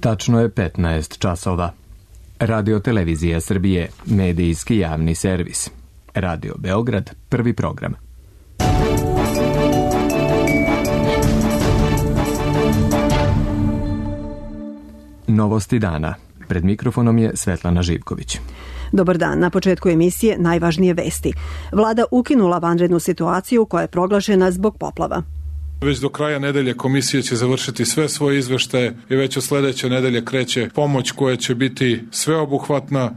Tačno je 15 časova. Radio Televizija Srbije, medijski javni servis. Radio Beograd, prvi program. Novosti dana. Pred mikrofonom je Svetlana Živković. Dobar dan. Na početku emisije najvažnije vesti. Vlada ukinula vanrednu situaciju koja je proglašena zbog poplava. Već do kraja nedelje komisija će završiti sve svoje izveštaje i već od sledeće nedelje kreće pomoć koja će biti sveobuhvatna.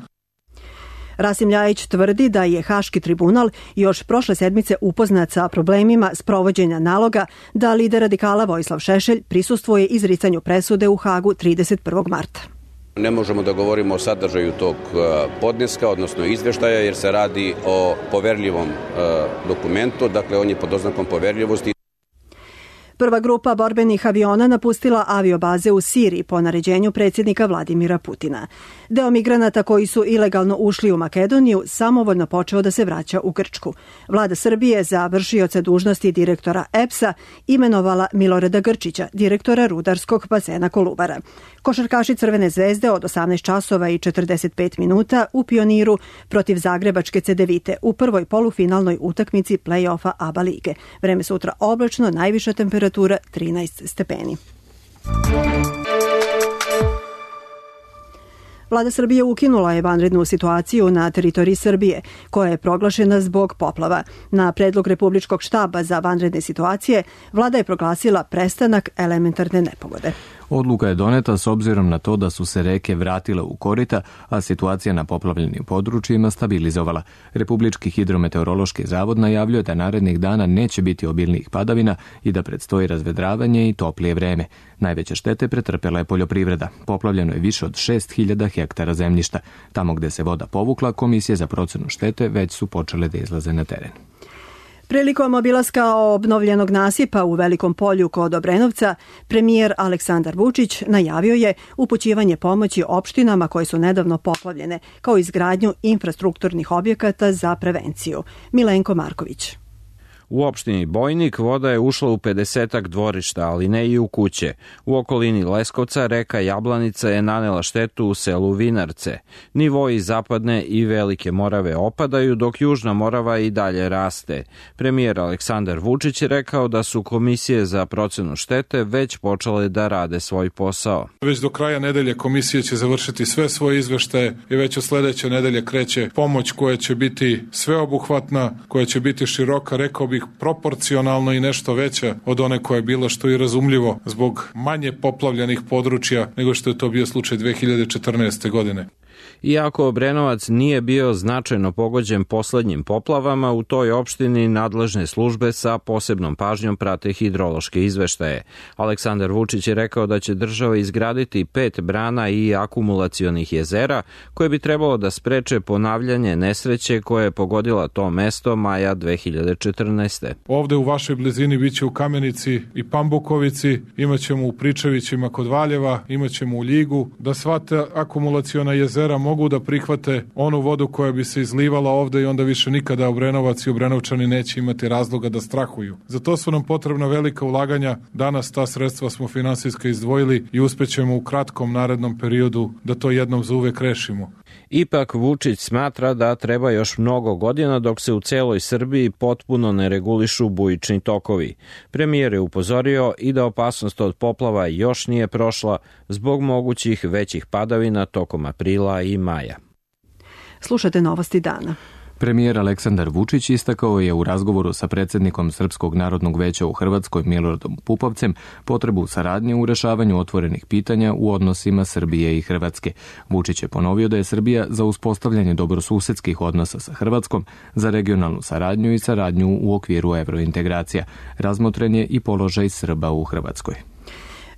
Rasim Ljajić tvrdi da je Haški tribunal još prošle sedmice upoznat sa problemima sprovođenja naloga da lider radikala Vojislav Šešelj prisustvuje izricanju presude u Hagu 31. marta. Ne možemo da govorimo o sadržaju tog podneska, odnosno izveštaja, jer se radi o poverljivom dokumentu, dakle on je pod oznakom poverljivosti. Prva grupa borbenih aviona napustila aviobaze u Siriji po naređenju predsjednika Vladimira Putina. Deo migranata koji su ilegalno ušli u Makedoniju samovoljno počeo da se vraća u Grčku. Vlada Srbije za vršioca dužnosti direktora EPS-a imenovala Milorada Grčića, direktora rudarskog bazena Kolubara. Košarkaši Crvene zvezde od 18 časova i 45 minuta u Pioniru protiv Zagrebačke Cedevite u prvoj polufinalnoj utakmici play-offa ABA lige. Vreme sutra oblačno, najviša temperatura 13 stepeni. Vlada Srbije ukinula je vanrednu situaciju na teritoriji Srbije, koja je proglašena zbog poplava. Na predlog Republičkog štaba za vanredne situacije, vlada je proglasila prestanak elementarne nepogode. Odluka je doneta s obzirom na to da su se reke vratile u korita, a situacija na poplavljenim područjima stabilizovala. Republički hidrometeorološki zavod najavljuje da narednih dana neće biti obilnijih padavina i da predstoji razvedravanje i toplije vreme. Najveće štete pretrpela je poljoprivreda. Poplavljeno je više od 6.000 hektara zemljišta. Tamo gde se voda povukla, komisije za procenu štete već su počele da izlaze na teren. Prilikom obilaska obnovljenog nasipa u Velikom Polju kod Obrenovca, premijer Aleksandar Vučić najavio je upućivanje pomoći opštinama koje su nedavno poplavljene, kao izgradnju infrastrukturnih objekata za prevenciju. Milenko Marković. U opštini Bojnik voda je ušla u 50-ak dvorišta, ali ne i u kuće. U okolini Leskovca reka Jablanica je nanela štetu u selu Vinarce. Nivoji Zapadne i Velike Morave opadaju, dok Južna Morava i dalje raste. Premijer Aleksandar Vučić je rekao da su komisije za procenu štete već počele da rade svoj posao. Već do kraja nedelje komisija će završiti sve svoje izveštaje i već od sledeće nedelje kreće pomoć koja će biti sveobuhvatna, koja će biti široka, rekao bih proporcionalno i nešto veća od one koja je bila, što je razumljivo zbog manje poplavljenih područja nego što je to bio slučaj 2014. godine. Iako Obrenovac nije bio značajno pogođen poslednjim poplavama, u toj opštini nadležne službe sa posebnom pažnjom prate hidrološke izveštaje. Aleksandar Vučić je rekao da će država izgraditi 5 brana i akumulacionih jezera koje bi trebalo da spreče ponavljanje nesreće koje je pogodila to mesto maja 2014. Ovde u vašoj blizini biće u Kamenici i Pambukovici, imaćemo u Pričevićima kod Valjeva, imaćemo u Ljigu, da sva ta akumulaciona jezera mogu da prihvate onu vodu koja bi se izlivala ovde i onda više nikada Obrenovac i Obrenovčani neće imati razloga da strahuju. Za to su nam potrebna velika ulaganja. Danas ta sredstva smo finansijski izdvojili i uspećemo u kratkom narednom periodu da to jednom za uvek rešimo. Ipak Vučić smatra da treba još mnogo godina dok se u celoj Srbiji potpuno ne regulišu bujični tokovi. Premijer je upozorio i da opasnost od poplava još nije prošla zbog mogućih većih padavina tokom aprila i maja. Slušate novosti dana. Premijer Aleksandar Vučić istakao je u razgovoru sa predsjednikom Srpskog narodnog veća u Hrvatskoj Miloradom Pupovcem potrebu saradnje u rešavanju otvorenih pitanja u odnosima Srbije i Hrvatske. Vučić je ponovio da je Srbija za uspostavljanje dobrosusedskih odnosa sa Hrvatskom, za regionalnu saradnju i saradnju u okviru evrointegracija. Razmotren je i položaj Srba u Hrvatskoj.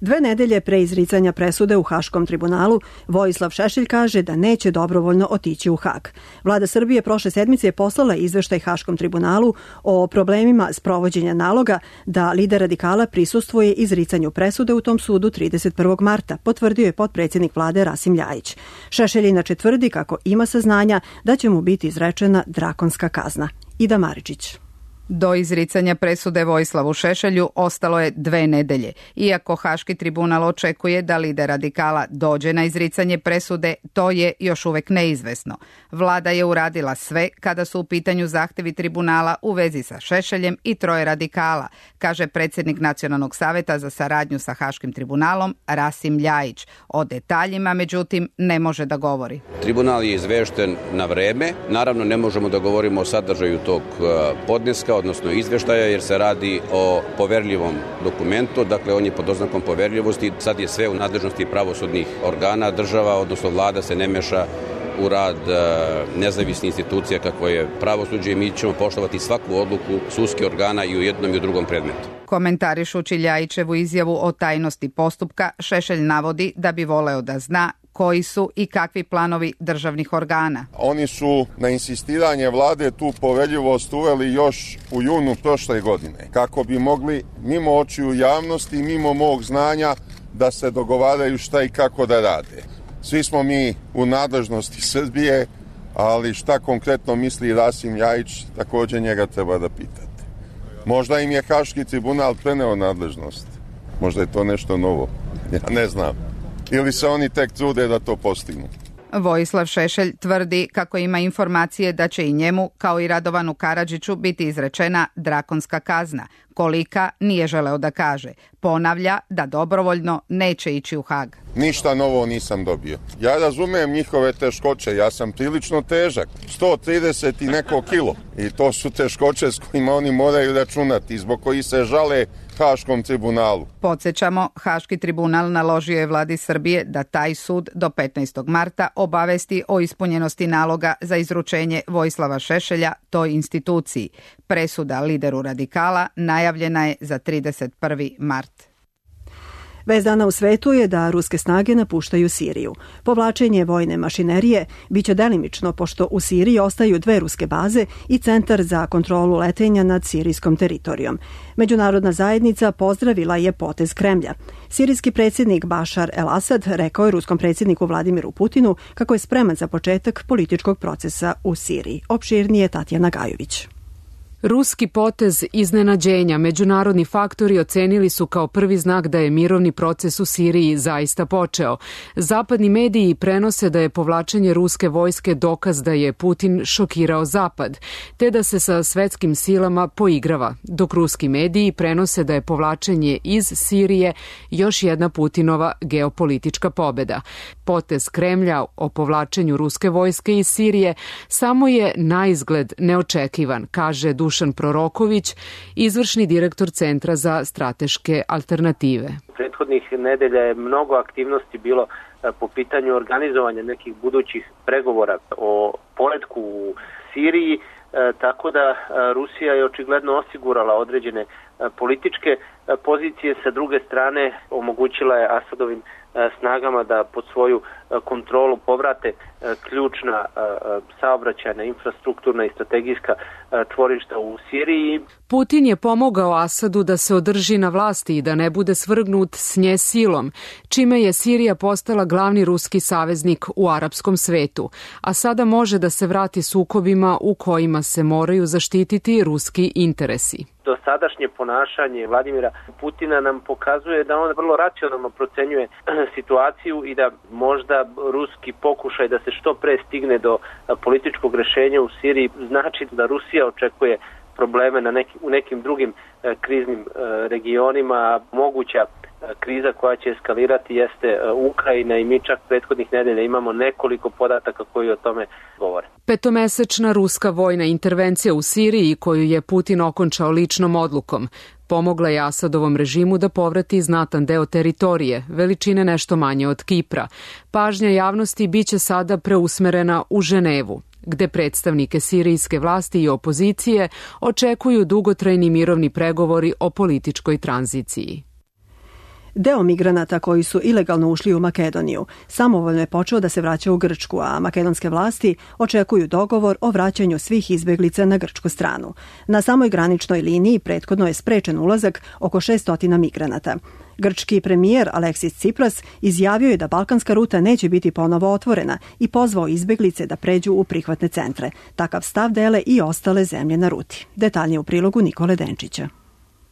2 nedelje pre izricanja presude u Haškom tribunalu, Vojislav Šešelj kaže da neće dobrovoljno otići u Hag. Vlada Srbije prošle sedmice je poslala izveštaj Haškom tribunalu o problemima sprovođenja naloga da lider radikala prisustvuje izricanju presude u tom sudu 31. marta, potvrdio je potpredsjednik vlade Rasim Ljajić. Šešelj inače tvrdi kako ima saznanja da će mu biti izrečena drakonska kazna. Ida Maričić. Do izricanja presude Vojislavu Šešelju ostalo je 2 nedelje. Iako Haški tribunal očekuje da lider radikala dođe na izricanje presude, to je još uvek neizvesno. Vlada je uradila sve kada su u pitanju zahtevi tribunala u vezi sa Šešeljem i 3 radikala, kaže predsjednik Nacionalnog saveta za saradnju sa Haškim tribunalom Rasim Ljajić. O detaljima, međutim, ne može da govori. Tribunal je izvešten na vreme. Naravno, ne možemo da govorimo o sadržaju tog podneska, odnosno izveštaja, jer se radi o poverljivom dokumentu, dakle on je pod oznakom poverljivosti, sad je sve u nadležnosti pravosudnih organa, država, odnosno vlada se ne meša u rad nezavisnih institucija kako je pravosuđe i mi ćemo poštovati svaku odluku sudskih organa i u jednom i u drugom predmetu. Komentarišući Ljajićevu izjavu o tajnosti postupka, Šešelj navodi da bi voleo da zna koji su i kakvi planovi državnih organa. Oni su na insistiranje vlade tu poverljivost uveli još u junu prošle godine, kako bi mogli mimo očiju javnosti i mimo mog znanja da se dogovaraju šta i kako da rade. Svi smo mi u nadležnosti Srbije, ali šta konkretno misli Rasim Ljajić, također njega treba da pitate. Možda im je Haški tribunal preneo nadležnost. Možda je to nešto novo. Ja ne znam. Ili se oni tek trude da to postignu. Vojislav Šešelj tvrdi kako ima informacije da će i njemu, kao i Radovanu Karadžiću, biti izrečena drakonska kazna. Kolika, nije želeo da kaže. Ponavlja da dobrovoljno neće ići u Hag. Ništa novo nisam dobio. Ja razumem njihove teškoće, ja sam prilično težak, 130 i neko kilo. I to su teškoće s kojima oni moraju računati, zbog koji se žale Haškom tribunalu. Podsjećamo, Haški tribunal naložio je vladi Srbije da taj sud do 15. marta obavesti o ispunjenosti naloga za izručenje Vojislava Šešelja toj instituciji. Presuda lideru radikala najavljena je za 31. mart. Vest dana u svetu je da ruske snage napuštaju Siriju. Povlačenje vojne mašinerije biće delimično pošto u Siriji ostaju 2 ruske baze i centar za kontrolu letenja nad sirijskom teritorijom. Međunarodna zajednica pozdravila je potez Kremlja. Sirijski predsjednik Bašar el-Asad rekao je ruskom predsjedniku Vladimiru Putinu kako je spreman za početak političkog procesa u Siriji. Opširnije Tatjana Gajović. Ruski potez iznenađenja međunarodni faktori ocenili su kao prvi znak da je mirovni proces u Siriji zaista počeo. Zapadni mediji prenose da je povlačenje ruske vojske dokaz da je Putin šokirao Zapad, te da se sa svetskim silama poigrava, dok ruski mediji prenose da je povlačenje iz Sirije još jedna Putinova geopolitička pobeda. Potez Kremlja o povlačenju ruske vojske iz Sirije samo je naizgled neočekivan, kaže Dušan Proroković, izvršni direktor Centra za strateške alternative. Prethodnih nedelja je mnogo aktivnosti bilo po pitanju organizovanja nekih budućih pregovora o poletku u Siriji, tako da Rusija je očigledno osigurala određene političke pozicije, sa druge strane omogućila je Asadovim snagama da pod svoju kontrolu povrate ključna saobraćajna, infrastrukturna i strategijska čvorišta u Siriji. Putin je pomogao Asadu da se održi na vlasti i da ne bude svrgnut s nje silom, čime je Sirija postala glavni ruski saveznik u arapskom svetu, a sada može da se vrati sukobima u kojima se moraju zaštititi ruski interesi. Dosadašnje ponašanje Vladimira Putina nam pokazuje da on vrlo racionalno procenjuje situaciju i da možda ruski pokušaj da se što pre stigne do političkog rešenja u Siriji znači da Rusija očekuje probleme u nekim drugim kriznim regionima. Moguća kriza koja će eskalirati jeste Ukrajina i mi čak prethodnih nedelja imamo nekoliko podataka koji o tome govore. Petomesečna ruska vojna intervencija u Siriji koju je Putin okončao ličnom odlukom pomogla je Asadovom režimu da povrati znatan deo teritorije, veličine nešto manje od Kipra. Pažnja javnosti biće sada preusmerena u Ženevu, gde predstavnike sirijske vlasti i opozicije očekuju dugotrajni mirovni pregovori o političkoj tranziciji. Deo migranata koji su ilegalno ušli u Makedoniju samovoljno je počeo da se vraća u Grčku, a makedonske vlasti očekuju dogovor o vraćanju svih izbeglica na grčku stranu. Na samoj graničnoj liniji prethodno je sprečen ulazak oko 600 migranata. Grčki premijer Aleksis Tsipras izjavio je da balkanska ruta neće biti ponovo otvorena i pozvao izbeglice da pređu u prihvatne centre. Takav stav dele i ostale zemlje na ruti. Detaljnije u prilogu Nikole Denčića.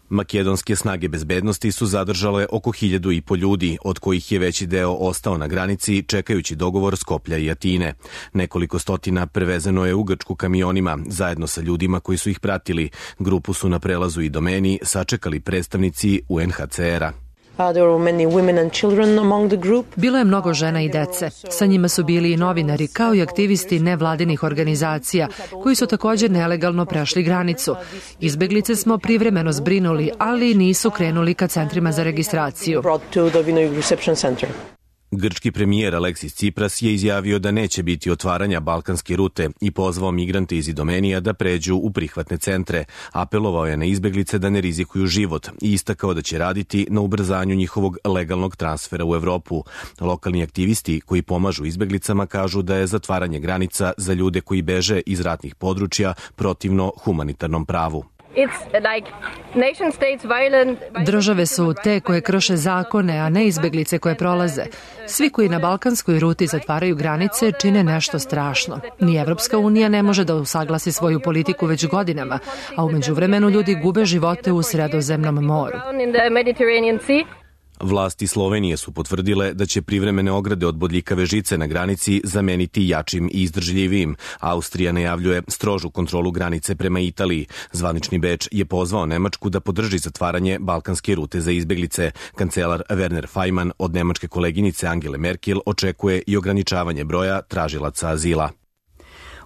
Makedonske snage bezbednosti su zadržale oko 1.500 ljudi, od kojih je veći deo ostao na granici čekajući dogovor Skoplja i Atine. Nekoliko stotina prevezeno je u Grčku kamionima, zajedno sa ljudima koji su ih pratili. Grupu su na prelazu i domeni sačekali predstavnici UNHCR-a. Bilo je mnogo žena i dece. Sa njima su bili i novinari, kao i aktivisti nevladinih organizacija, koji su također nelegalno prešli granicu. Izbeglice smo privremeno zbrinuli, ali nisu krenuli ka centrima za registraciju. Grčki premijer Aleksis Tsipras je izjavio da neće biti otvaranja balkanske rute i pozvao migrante iz Idomenija da pređu u prihvatne centre. Apelovao je na izbeglice da ne rizikuju život i istakao da će raditi na ubrzanju njihovog legalnog transfera u Evropu. Lokalni aktivisti koji pomažu izbeglicama kažu da je zatvaranje granica za ljude koji beže iz ratnih područja protivno humanitarnom pravu. Države su te koje krše zakone, a ne izbeglice koje prolaze. Svi koji na balkanskoj ruti zatvaraju granice čine nešto strašno. Ni Evropska unija ne može da usaglasi svoju politiku već godinama, a u međuvremenu ljudi gube živote u Sredozemnom moru. Vlasti Slovenije su potvrdile da će privremene ograde od bodljikave žice na granici zameniti jačim i izdržljivijim. Austrija najavljuje strožu kontrolu granice prema Italiji. Zvanični Beč je pozvao Nemačku da podrži zatvaranje balkanske rute za izbeglice. Kancelar Werner Faymann od nemačke koleginice Angele Merkel očekuje i ograničavanje broja tražilaca azila.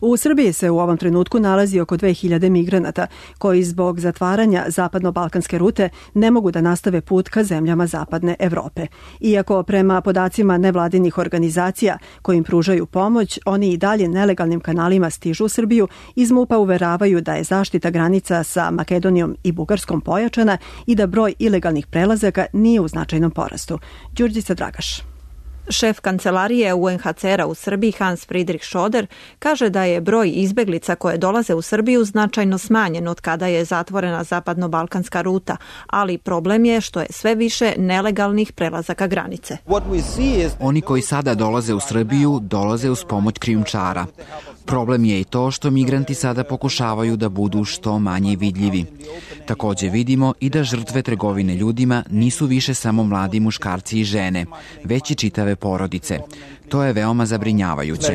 U Srbiji se u ovom trenutku nalazi oko 2000 migranata koji zbog zatvaranja zapadno-balkanske rute ne mogu da nastave put ka zemljama zapadne Evrope. Iako prema podacima nevladinih organizacija kojim pružaju pomoć, oni i dalje nelegalnim kanalima stižu u Srbiju, iz MUP-a uveravaju da je zaštita granica sa Makedonijom i Bugarskom pojačana i da broj ilegalnih prelazaka nije u značajnom porastu. Đurđica Dragaš. Šef kancelarije UNHCR-a u Srbiji Hans Friedrich Schoder kaže da je broj izbeglica koje dolaze u Srbiju značajno smanjen od kada je zatvorena zapadno-balkanska ruta, ali problem je što je sve više nelegalnih prelazaka granice. Oni koji sada dolaze u Srbiju dolaze uz pomoć krijumčara. Problem je i to što migranti sada pokušavaju da budu što manje vidljivi. Također vidimo i da žrtve trgovine ljudima nisu više samo mladi muškarci i žene, već i čitave porodice. To je veoma zabrinjavajuće.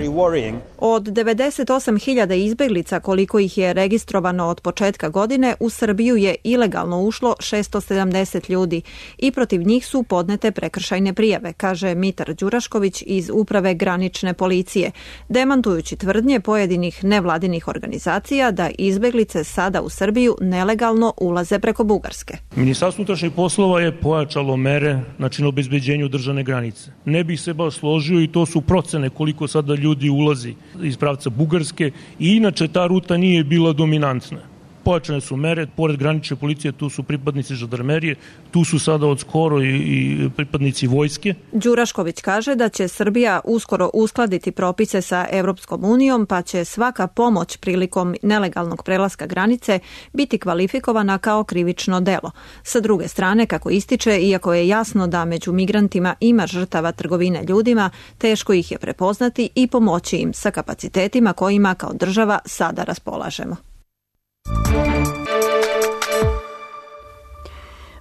Od 98.000 izbeglica koliko ih je registrovano od početka godine, u Srbiju je ilegalno ušlo 670 ljudi i protiv njih su podnete prekršajne prijave, kaže Mitar Đurašković iz Uprave granične policije, demantujući tvrdnje pojedinih nevladinih organizacija da izbeglice sada u Srbiju nelegalno ulaze preko Bugarske. Ministarstvo unutrašnjih poslova je pojačalo mere na obezbeđenju državne granice. Ne bih se baš složio i to su procene koliko sada ljudi ulazi iz pravca Bugarske i inače ta ruta nije bila dominantna. Pojačane su mere, pored granične policije tu su pripadnici žandarmerije, tu su sada od skoro i pripadnici vojske. Đurašković kaže da će Srbija uskoro uskladiti propise sa Evropskom unijom, pa će svaka pomoć prilikom nelegalnog prelaska granice biti kvalifikovana kao krivično delo. Sa druge strane, kako ističe, iako je jasno da među migrantima ima žrtava trgovine ljudima, teško ih je prepoznati i pomoći im sa kapacitetima kojima kao država sada raspolažemo.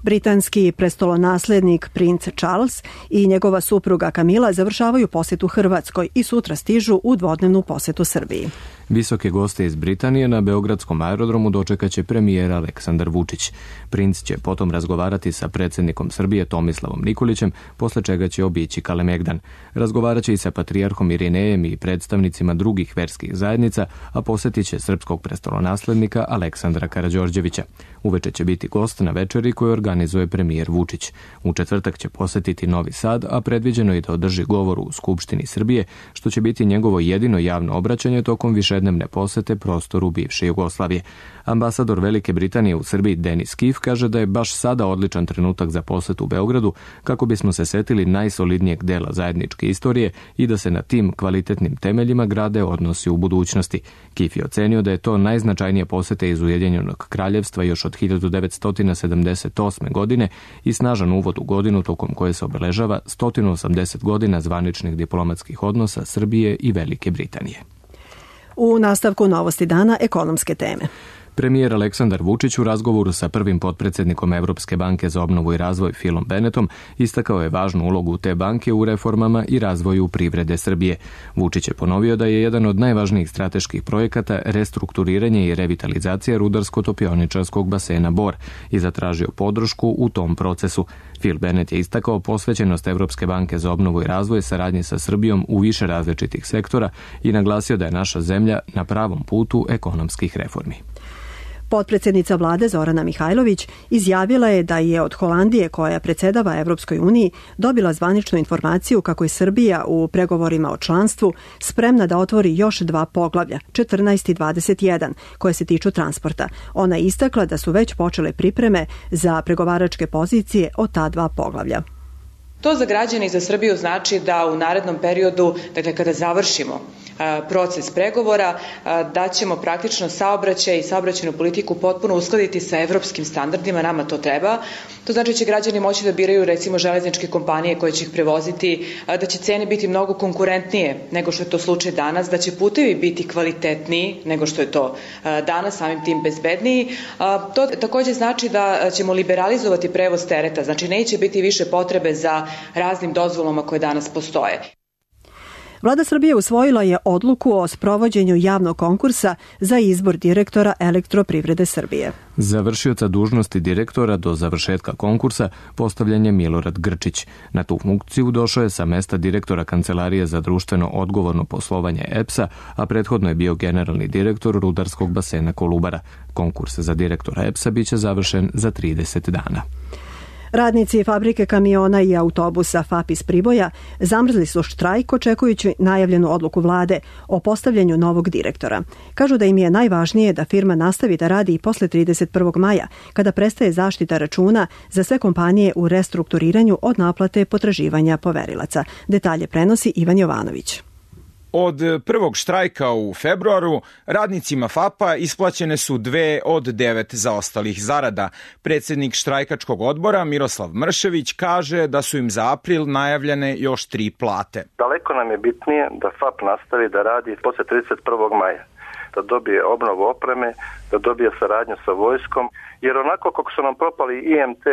Britanski prestolonaslednik princ Charles i njegova supruga Camilla završavaju posjetu Hrvatskoj i sutra stižu u dvodnevnu posjetu Srbiji. Visoke goste iz Britanije na beogradskom aerodromu dočekaće premijer Aleksandar Vučić. Princ će potom razgovarati sa predsjednikom Srbije Tomislavom Nikolićem, posle čega će obići Kalemegdan. Razgovarat će i sa patrijarhom Irinejem i predstavnicima drugih verskih zajednica, a posjetit će srpskog prestolonaslednika Aleksandra Karađorđevića. Uveče će biti gost na večeri koju organizuje premijer Vučić. U četvrtak će posjetiti Novi Sad, a predviđeno je da održi govor u Skupštini Srbije, što će biti njegovo jedino javno obraćanje tokom više dvednevne posete prostoru bivše Jugoslavije. Ambasador Velike Britanije u Srbiji Denis Kif kaže da je baš sada odličan trenutak za posetu Beogradu kako bismo se setili najsolidnijeg dela zajedničke istorije i da se na tim kvalitetnim temeljima grade odnosi u budućnosti. Kif je ocenio da je to najznačajnija poseta iz Ujedinjenog kraljevstva još od 1978. godine i snažan uvod u godinu tokom koje se obeležava 180 godina zvaničnih diplomatskih odnosa Srbije i Velike Britanije. U nastavku novosti dana ekonomske teme. Premijer Aleksandar Vučić u razgovoru sa prvim potpredsjednikom Evropske banke za obnovu i razvoj Philom Bennettom istakao je važnu ulogu te banke u reformama i razvoju privrede Srbije. Vučić je ponovio da je jedan od najvažnijih strateških projekata restrukturiranje i revitalizacija rudarsko-topioničarskog basena Bor i zatražio podršku u tom procesu. Phil Bennett je istakao posvećenost Evropske banke za obnovu i razvoj saradnji sa Srbijom u više različitih sektora i naglasio da je naša zemlja na pravom putu ekonomskih reformi. Potpredsjednica vlade Zorana Mihajlović izjavila je da je od Holandije, koja predsjedava Evropskoj uniji, dobila zvaničnu informaciju kako je Srbija u pregovorima o članstvu spremna da otvori još 2 poglavlja, 14 i 21, koje se tiču transporta. Ona je istakla da su već počele pripreme za pregovaračke pozicije o ta 2 poglavlja. To za građane i za Srbiju znači da u narednom periodu, dakle kada završimo proces pregovora, da ćemo praktično saobraćaj i saobraćajnu politiku potpuno uskladiti sa evropskim standardima, nama to treba. To znači da će građani moći da biraju recimo železničke kompanije koje će ih prevoziti, da će cene biti mnogo konkurentnije nego što je to slučaj danas, da će putevi biti kvalitetniji nego što je to danas, samim tim bezbedniji. To također znači da ćemo liberalizovati prevoz tereta, znači neće biti više potrebe za raznim dozvolama koje danas postoje. Vlada Srbije usvojila je odluku o sprovođenju javnog konkursa za izbor direktora Elektroprivrede Srbije. Za vršioca dužnosti direktora do završetka konkursa postavljen je Milorad Grčić. Na tu funkciju došao je sa mesta direktora Kancelarije za društveno odgovorno poslovanje EPS-a, a prethodno je bio generalni direktor rudarskog basena Kolubara. Konkurs za direktora EPS-a biće završen za 30 dana. Radnici fabrike kamiona i autobusa FAP iz Priboja zamrzli su štrajk očekujući najavljenu odluku vlade o postavljanju novog direktora. Kažu da im je najvažnije da firma nastavi da radi i posle 31. maja, kada prestaje zaštita računa za sve kompanije u restrukturiranju od naplate potraživanja poverilaca. Detalje prenosi Ivan Jovanović. Od prvog štrajka u februaru radnicima FAP-a isplaćene su 2 od 9 zaostalih zarada. Predsjednik štrajkačkog odbora Miroslav Mršević kaže da su im za april najavljene još 3 plate. Daleko nam je bitnije da FAP nastavi da radi posle 31. maja, da dobije obnovu opreme, da dobije saradnju sa vojskom, jer onako kako su nam propali IMT,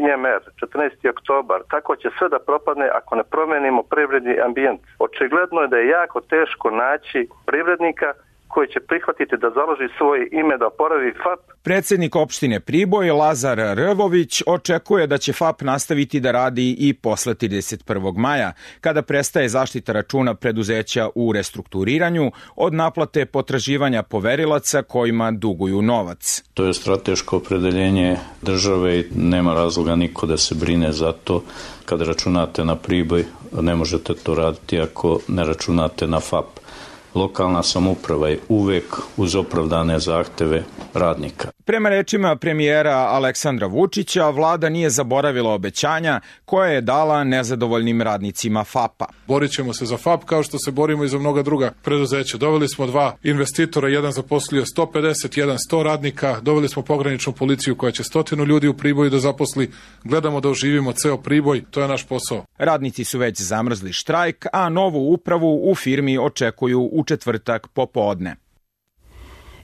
IMR, 14. oktobar, tako će sve da propadne ako ne promenimo privredni ambijent. Očigledno je da je jako teško naći privrednika koji će prihvatiti da založi svoje ime da oporavi FAP. Predsjednik opštine Priboj Lazar Rvović očekuje da će FAP nastaviti da radi i posle 31. maja, kada prestaje zaštita računa preduzeća u restrukturiranju od naplate potraživanja poverilaca kojima duguju novac. To je strateško opredeljenje države i nema razloga niko da se brine za to. Kada računate na Priboj, ne možete to raditi ako ne računate na FAP. Lokalna samouprava je uvek uz opravdane zahteve radnika. Prema rečima premijera Aleksandra Vučića, vlada nije zaboravila obećanja koje je dala nezadovoljnim radnicima FAP-a. Borit ćemo se za FAP kao što se borimo i za mnoga druga preduzeća. Doveli smo 2 investitora, jedan zaposlio 150, jedan 100 radnika, doveli smo pograničnu policiju koja će 100 ljudi u Priboju da zaposli. Gledamo da oživimo ceo Priboj, to je naš posao. Radnici su već zamrzli štrajk, a novu upravu u firmi očekuju u četvrtak popodne.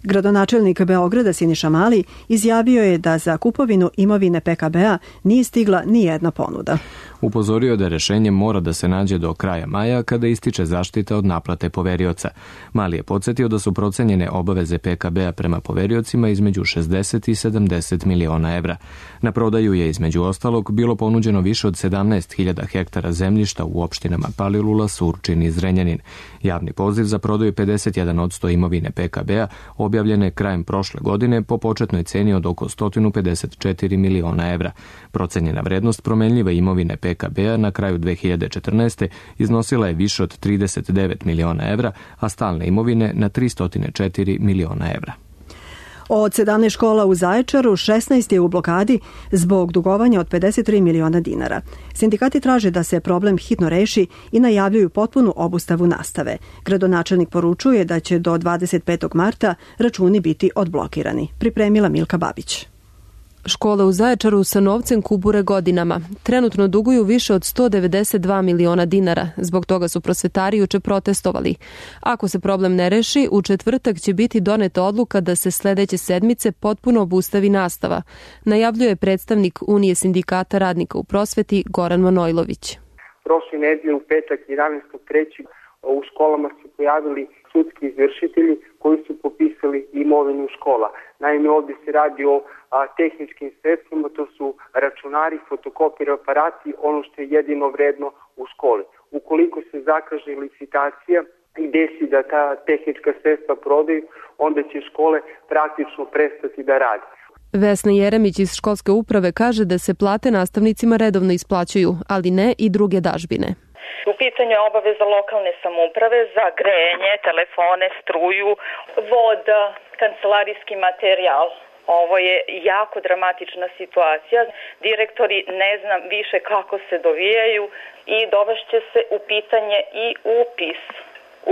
Gradonačelnik Beograda Siniša Mali izjavio je da za kupovinu imovine PKB-a nije stigla ni jedna ponuda. Upozorio da rešenje mora da se nađe do kraja maja kada ističe zaštita od naplate poverioca. Mali je podsjetio da su procenjene obaveze PKB-a prema poveriocima između 60 i 70 miliona evra. Na prodaju je između ostalog bilo ponuđeno više od 17.000 hektara zemljišta u opštinama Palilula, Surčin i Zrenjanin. Javni poziv za prodaju 51% imovine PKB-a objavljen je krajem prošle godine po početnoj ceni od oko 154 miliona evra. Procenjena vrednost promenljive imovine PKB PKB-a na kraju 2014. iznosila je više od 39 miliona evra, a stalne imovine na 304 miliona evra. Od 17 škola u Zaječaru, 16 je u blokadi zbog dugovanja od 53 miliona dinara. Sindikati traže da se problem hitno reši i najavljuju potpunu obustavu nastave. Gradonačelnik poručuje da će do 25. marta računi biti odblokirani. Pripremila Milka Babić. Škole u Zaječaru sa novcem kubure godinama. Trenutno duguju više od 192 miliona dinara. Zbog toga su prosvetari juče protestovali. Ako se problem ne reši, u četvrtak će biti doneta odluka da se sledeće sedmice potpuno obustavi nastava, najavljuje predstavnik Unije sindikata radnika u prosveti Goran Manojlović. Prošle nedelje u petak 11.3. u školama su pojavili sudski izvršitelji koji su popisali imovinu škola. Naime, ovdje se radi o tehničkim sredstvima, to su računari, fotokopir aparati, ono što je jedino vredno u školi. Ukoliko se zakaže licitacija i desi da ta tehnička sredstva prodaju, onda će škole praktično prestati da rade. Vesna Jeremić iz školske uprave kaže da se plate nastavnicima redovno isplaćuju, ali ne i druge dažbine. U pitanju je obaveza lokalne samouprave za grejanje, telefone, struju, voda, kancelarijski materijal. Ovo je jako dramatična situacija. Direktori ne znam više kako se dovijaju i dovešće se u pitanje i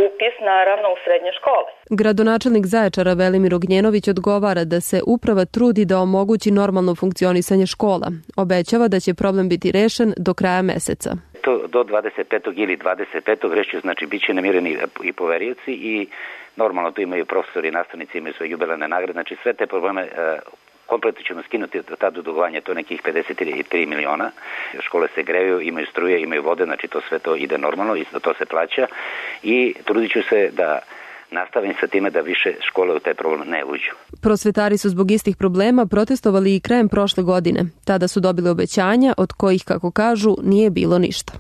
upis naravno u srednje škole. Gradonačelnik Zaječara Velimir Ognjenović odgovara da se uprava trudi da omogući normalno funkcionisanje škola. Obećava da će problem biti rešen do kraja meseca. Do 25. ili 25. reći, znači bit će namireni i poverioci i normalno tu imaju profesori i nastavnici, imaju svoje jubilarne nagrade, znači sve te probleme kompletno ćemo skinuti do tada dugovanja, to nekih 53 miliona. Škole se greju, imaju struje, imaju vode, znači to sve to ide normalno, isto to se plaća i trudit ću se da nastavim sa time da više škole u taj problem ne uđu. Prosvetari su zbog istih problema protestovali i krajem prošle godine. Tada su dobili obećanja od kojih, kako kažu, nije bilo ništa.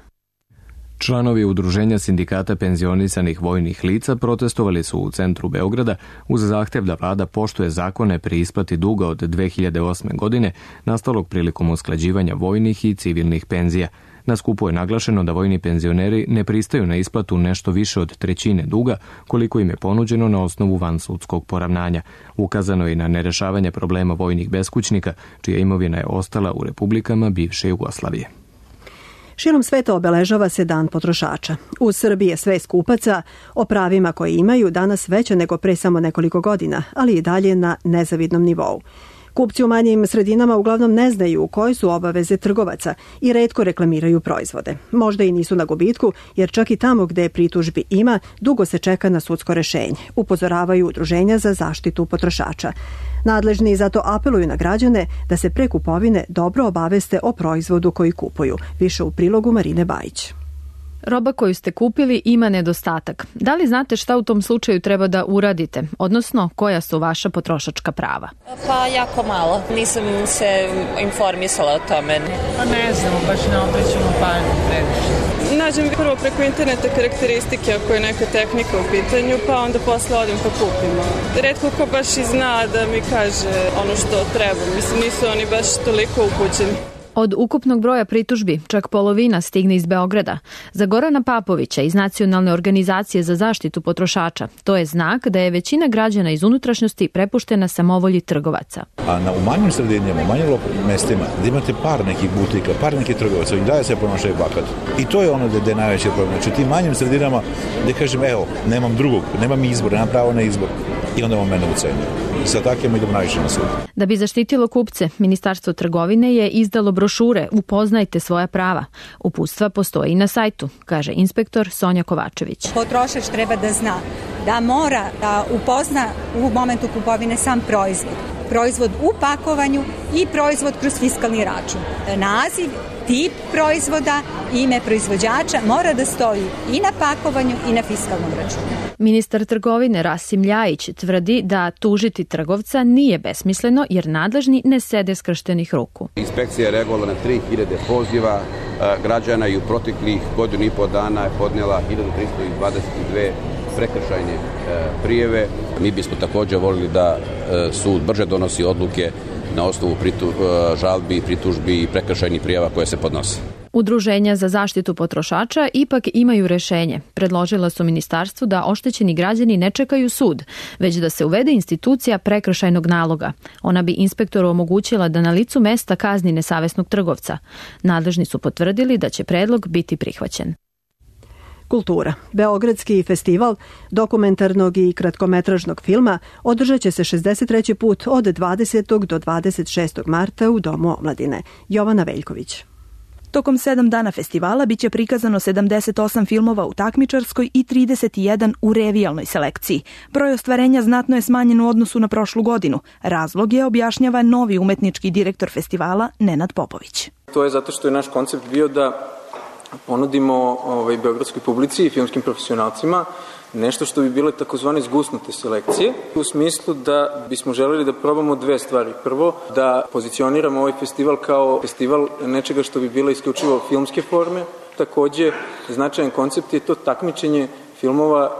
Članovi Udruženja sindikata penzionisanih vojnih lica protestovali su u centru Beograda uz zahtev da vlada poštuje zakone pri isplati duga od 2008. godine nastalog prilikom usklađivanja vojnih i civilnih penzija. Na skupu je naglašeno da vojni penzioneri ne pristaju na isplatu nešto više od trećine duga koliko im je ponuđeno na osnovu vansudskog poravnanja. Ukazano je i na nerešavanje problema vojnih beskućnika, čija imovina je ostala u republikama bivše Jugoslavije. Širom sveta obeležava se Dan potrošača. U Srbiji je svest kupaca o pravima koje imaju danas veća nego pre samo nekoliko godina, ali i dalje na nezavidnom nivou. Kupci u manjim sredinama uglavnom ne znaju koje su obaveze trgovaca i retko reklamiraju proizvode. Možda i nisu na gubitku, jer čak i tamo gde pritužbi ima, dugo se čeka na sudsko rešenje, upozoravaju udruženja za zaštitu potrošača. Nadležni zato apeluju na građane da se pre kupovine dobro obaveste o proizvodu koji kupuju. Više u prilogu Marine Bajić. Roba koju ste kupili ima nedostatak. Da li znate šta u tom slučaju treba da uradite, odnosno koja su vaša potrošačka prava? Pa jako malo. Nisam se informisala o tome. Pa ne znamo, baš ne obraćamo pažnju previše. Nađem prvo preko interneta karakteristike ako je neka tehnika u pitanju, pa onda posle odim pa kupimo. Retko ko baš i zna da mi kaže ono što treba. Mislim, nisu oni baš toliko upućeni. Od ukupnog broja pritužbi, čak polovina stigne iz Beograda. Za Gorana Papovića iz Nacionalne organizacije za zaštitu potrošača, to je znak da je većina građana iz unutrašnjosti prepuštena samovolji trgovaca. A u manjim sredinama, u manjim mestima, gde imate par nekih butika, par nekih trgovaca, i dalje se ponašaju bahato. I to je ono gde je najveći problem. Znači, u tim manjim sredinama gde kažem, evo, nemam drugog, nemam izbor, nemam pravo na izbor. I onda on mene ucenjuje. Sa takvim idemo najviše na sud. Da bi zaštitilo kupce, Ministarstvo trgovine je izdalo brošure Upoznajte svoja prava. Uputstva postoje i na sajtu, kaže inspektor Sonja Kovačević. Potrošač treba da zna da mora da upozna u momentu kupovine sam proizvod. Proizvod u pakovanju i proizvod kroz fiskalni račun. Naziv, tip proizvoda, ime proizvođača mora da stoji i na pakovanju i na fiskalnom računu. Ministar trgovine Rasim Ljajić tvrdi da tužiti trgovca nije besmisleno jer nadležni ne sede skrštenih ruku. Inspekcija je reagovala na 3000 poziva građana i u proteklih godinu i po dana je podnijela 1322 prekršajne prijeve. Mi bismo također volili da sud brže donosi odluke na osnovu žalbi, pritužbi i prekršajnih prijava koje se podnose. Udruženja za zaštitu potrošača ipak imaju rešenje. Predložila su ministarstvu da oštećeni građani ne čekaju sud, već da se uvede institucija prekršajnog naloga. Ona bi inspektoru omogućila da na licu mesta kazni nesavesnog trgovca. Nadležni su potvrdili da će predlog biti prihvaćen. Kultura. Beogradski festival dokumentarnog i kratkometražnog filma održat će se 63. put od 20. do 26. marta u Domu omladine. Jovana Veljković. Tokom 7 dana festivala biće prikazano 78 filmova u takmičarskoj i 31 u revijalnoj selekciji. Broj ostvarenja znatno je smanjen u odnosu na prošlu godinu. Razlog je, objašnjava novi umetnički direktor festivala Nenad Popović. To je zato što je naš koncept bio da ponudimo beogradskoj publici i filmskim profesionalcima nešto što bi bile takozvane zgusnute selekcije, u smislu da bismo želeli da probamo dve stvari. Prvo, da pozicioniramo ovaj festival kao festival nečega što bi bile isključivo filmske forme. Takođe, značajan koncept je to takmičenje filmova,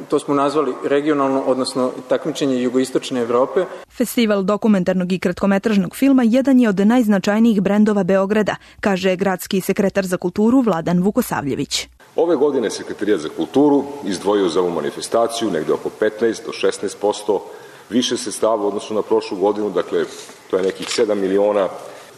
to smo nazvali regionalno, odnosno takmičenje jugoistočne Evrope. Festival dokumentarnog i kratkometražnog filma jedan je od najznačajnijih brendova Beograda, kaže gradski sekretar za kulturu Vladan Vukosavljević. Ove godine Sekretarijat za kulturu izdvojio za ovu manifestaciju negde oko 15 do 16% više sredstava u odnosu na prošlu godinu, dakle to je nekih 7 miliona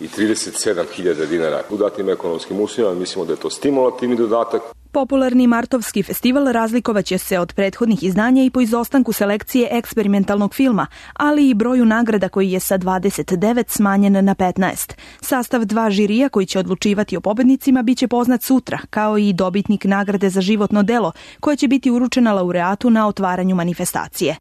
i 37.000 dinara. U datim ekonomskim uslovima mislimo da je to stimulativni dodatak. Popularni martovski festival razlikovaće se od prethodnih izdanja i po izostanku selekcije eksperimentalnog filma, ali i broju nagrada koji je sa 29 smanjen na 15. Sastav 2 žirija koji će odlučivati o pobednicima biće poznat sutra, kao i dobitnik nagrade za životno delo, koje će biti uručena laureatu na otvaranju manifestacije.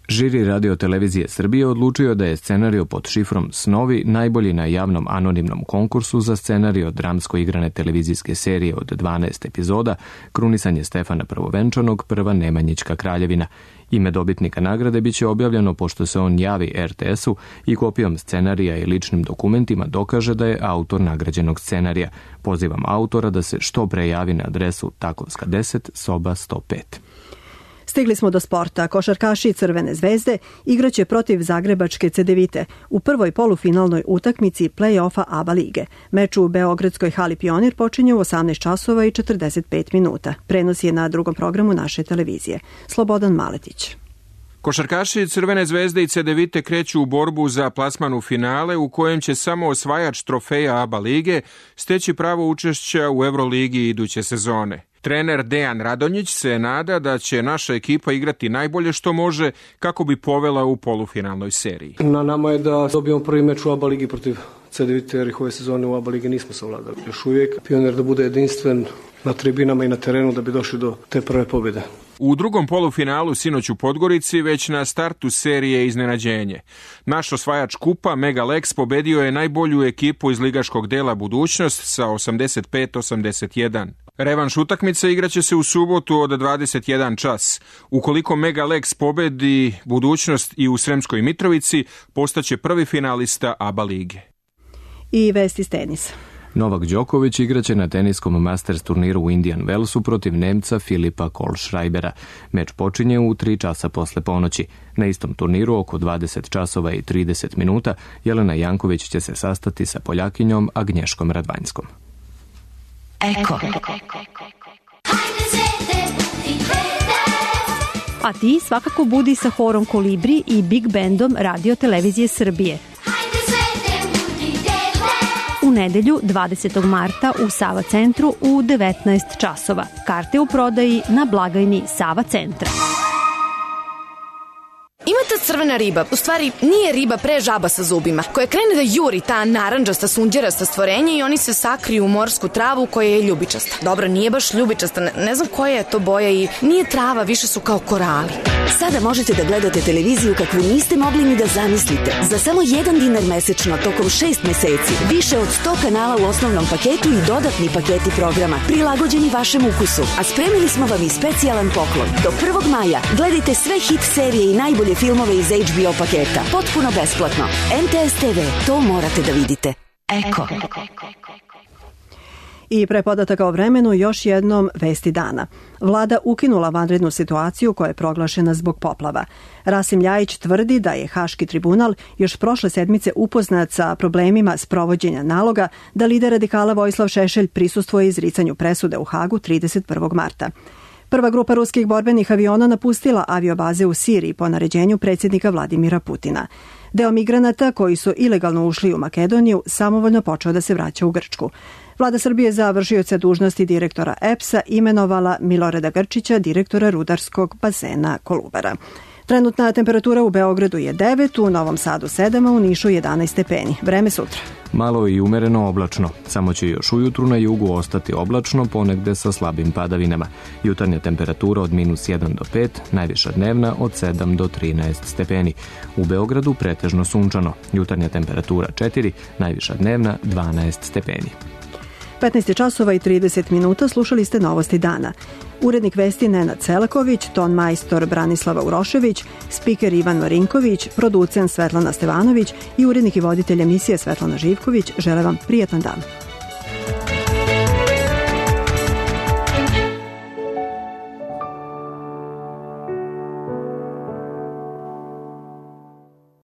Žiri Radio Televizije Srbije odlučio da je scenario pod šifrom Snovi najbolji na javnom anonimnom konkursu za scenario dramsko igrane televizijske serije od 12 epizoda Krunisanje Stefana Prvovenčanog, Prva Nemanjićka kraljevina. Ime dobitnika nagrade biće objavljeno pošto se on javi RTS-u i kopijom scenarija i ličnim dokumentima dokaže da je autor nagrađenog scenarija. Pozivam autora da se što pre javi na adresu Takovska 10, soba 105. Stigli smo do sporta. Košarkaši Crvene zvezde igraće protiv Zagrebačke Cedevite u prvoj polufinalnoj utakmici play-offa ABA lige. Meč u Beogradskoj hali Pionir počinje u 18 časova i 45 minuta. Prenos je na drugom programu naše televizije. Slobodan Maletić. Košarkaši Crvene zvezde i Cedevite kreću u borbu za plasman u finale u kojem će samo osvajač trofeja ABA lige steći pravo učešća u Euroligi iduće sezone. Trener Dejan Radonjić se nada da će naša ekipa igrati najbolje što može kako bi povela u polufinalnoj seriji. Na nama je da dobijemo prvi meč u ABA ligi protiv Cedevite, jer ih ove sezone u ABA ligi nismo savladali. Još uvijek Pionir da bude jedinstven na tribinama i na terenu da bi došli do te prve pobjede. U drugom polufinalu sinoć u Podgorici već na startu serije iznenađenje. Naš osvajač kupa Mega Lex pobedio je najbolju ekipu iz ligaškog dela Budućnost sa 85-81. Revanš utakmice igraće se u subotu od 21 čas. Ukoliko Mega Lex pobedi Budućnost i u Sremskoj Mitrovici, postaće prvi finalista ABA lige. I vesti iz tenisa. Novak Đoković igraće na teniskom Masters turniru u Indian Wellsu protiv Nemca Filipa Kohlschreibera. Meč počinje u 3 časa posle ponoći. Na istom turniru oko 20 časova i 30 minuta Jelena Janković će se sastati sa Poljakinjom Agnješkom Radvanjskom. Eko. A ti svakako budi sa horom Kolibri i Big Bandom Radio Televizije Srbije. U nedelju 20. marta u Sava centru u 19 časova. Karte u prodaji na blagajni Sava centra. Ima ta crvena riba, u stvari nije riba, pre žaba sa zubima, koja krene da juri ta narandžasta, sunđerasta stvorenja i oni se sakriju u morsku travu koja je ljubičasta. Dobro, nije baš ljubičasta, ne znam koja je to boja i nije trava, više su kao korali. Sada možete da gledate televiziju kakvu niste mogli ni da zamislite. Za samo $1 mesečno tokom 6 meseci. Više od 100 kanala u osnovnom paketu i dodatni paketi programa, prilagođeni vašem ukusu. A spremili smo vam i specijalan poklon. Do 1. maja gledajte sve hit serije i najbolje filmove iz HBO paketa. Potpuno besplatno. MTS TV, to morate da vidite. Eko. I pre podataka o vremenu još jednom vesti dana. Vlada ukinula vanrednu situaciju koja je proglašena zbog poplava. Rasim Ljajić tvrdi da je Haški tribunal još prošle sedmice upoznat sa problemima sprovođenja naloga da lider radikala Vojislav Šešelj prisustvuje izricanju presude u Hagu 31. marta. Prva grupa ruskih borbenih aviona napustila aviobaze u Siriji po naređenju predsjednika Vladimira Putina. Deo migranata koji su ilegalno ušli u Makedoniju samovoljno počeo da se vraća u Grčku. Vlada Srbije za vršioca dužnosti direktora EPS-a imenovala Milorada Grčića, direktora rudarskog bazena Kolubara. Trenutna temperatura u Beogradu je 9, u Novom Sadu 7, a u Nišu 11 stepeni. Vreme sutra. Malo i umereno oblačno. Samo će još ujutru na jugu ostati oblačno, ponegde sa slabim padavinama. Jutarnja temperatura od -1 do 5, najviša dnevna od 7 do 13 stepeni. U Beogradu pretežno sunčano. Jutarnja temperatura 4, najviša dnevna 12 stepeni. 15 časova i 30 minuta, slušali ste Novosti dana. Urednik vesti Nenad Celaković, ton majstor Branislava Urošević, spiker Ivan Marinković, producent Svetlana Stevanović i urednik i voditelj emisije Svetlana Živković žele vam prijatan dan.